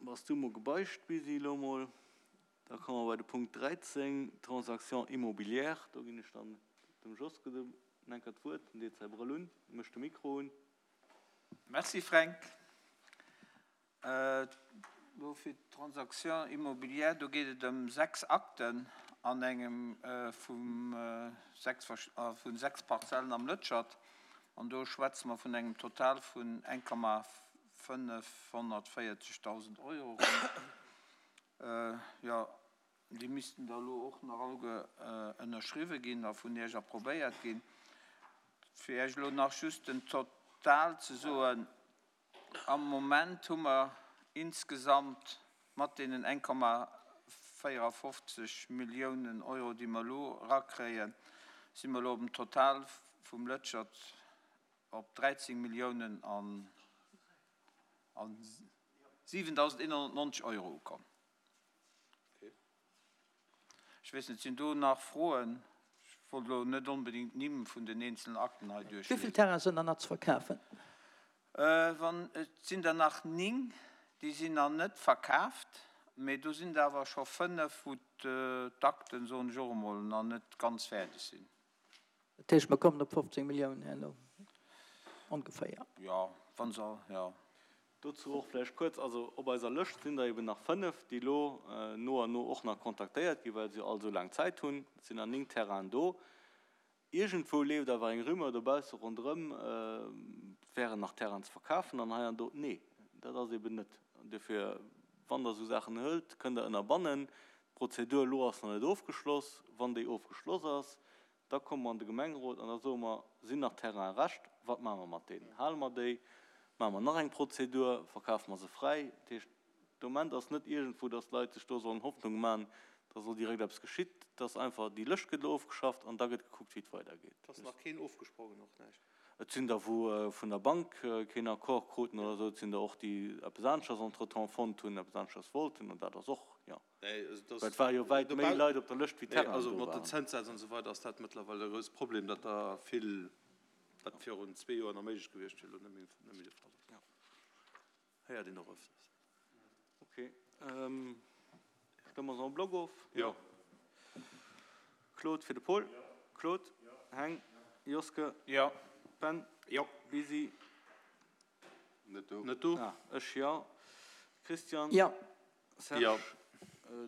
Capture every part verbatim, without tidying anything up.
Bass du mol gebeicht, Bisi, elo mol. Da komme mer bei de Punkt dräizéng, Transactions immobilières. Do ginn ech dann dem Joske den enker d'Wuert. En deet säi Brëll un, mécht de Mikro un. Merci, Fränk. Elo fir d'Transactions immobilières, do geet et ëm sechs Akten an engem vu sechs Parzellen am Lëtschert. An do schwätze mer vun engem Total vun eng Komma fënnefhonnertvéierzegdausend Euro ronn. Jo, déi missten da elo och nach alleguer ënnerschriwwe ginn a vun Iech approbéiert ginn. Fir Iech elo nach just den Total ze soen, Am Moment hu mer insgesamt mat deenen eng Komma véierafofzeg Milliounen Euro, déi mer elo erakréien, si mer elo op en Total vum Lëtschert op dräizéng Milliounen an siwentausendeenhonnertneunzeg Euro ukomm. Ech weess net, sinn do nach Froen? Ech wollt elo net onbedéngt d'Nimm vun den eenzelen Akten hei Wéi vill duerchliesen. Terrainen sinn dann nach ze verkafen? Wann, et sinn der nach néng, déi sinn nach net verkaaft, mee do sinn der awer scho fënnef, wou d'Akten, soen ech och emol, nach net ganz fäerdeg sinn. Dat heescht, mer kommen op fofzéng Milliounen herno ongeféier. Jo, wa se, jo. Dozou och vläicht kuerz, also op eiser Lëscht sinn der eben nach fënnef, déi elo no an no och nach kontaktéiert ginn, well se jo all esou laang Zäit hunn. Et sinn nach néng Terrainen do. Iergendwou leeft awer eng Rumeur dobausse ronderëm, et wären nach Terrainen ze verkafen an hei an do. Nee, dat ass eben net. Dofir, wann Der esou Saachen hëlt, kënnt Der ënnerbannen. D'Prozedur elo ass nach net ofgeschloss. Wann déi ofgeschloss ass, Da komme mer an de Gemengerot an da soe mer, Sinn nach Terrainen Rescht? Wat maache mer mat deenen? Hale mer déi? Maache mer nach eng Prozedur? Verkafe mer se fräi? Dat heescht, de Moment ass net iergendwou, datt d'Leit sech do sollen Hoffnung maachen, datt elo direkt eppes geschitt. Et ass einfach, déi Lëscht gëtt elo ofgeschafft an da gëtt gekuckt, wéi et weidergeet. Et ass nach keen ofgesprongen, och näischt? Et sinn der, wou vun der Bank keen Accord kruten oder esou. Et sinn der och, déi eppes aneschters entretemps fonnt hunn, eppes aneschters wollten. An dat ass och, jo. Well et ware jo wäit méi Leit op der Lëscht wéi Terrainen do waren. Mat den Zënssätz an esou weider ass dat mëttlerweil e grousst Problem, datt der vill, wat virun zwee Joer nach méiglech gewiescht wier, elo net méi de Fall ass. Héiert een och öfters. Ok. Stëmme mer se en bloc of? Jo. Claude fir de Paul. Claude? Heng? Joske? Jo. Ben? Jo. Bisi? Net do. Net do. Ah, ech jo. Christian? Jo. Serge? Jo.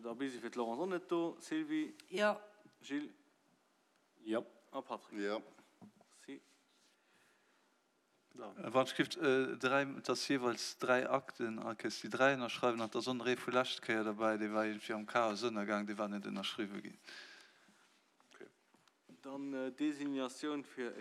Da Bisi fir d'Laurence och net do. Sylvie? Jo. Gilles? Jo. A Patrick? Jo. Merci. Wann ech giff dräi, et ass jeeweils dräi Akten a kéis déi dräi ënnerschreiwen an et ass och nach ee vu lescht Kéier derbäi, dee war iergendwéi am Chaos ënnergaang, dee war net ënnerschriwwe ginn. Dann Désignatioun fir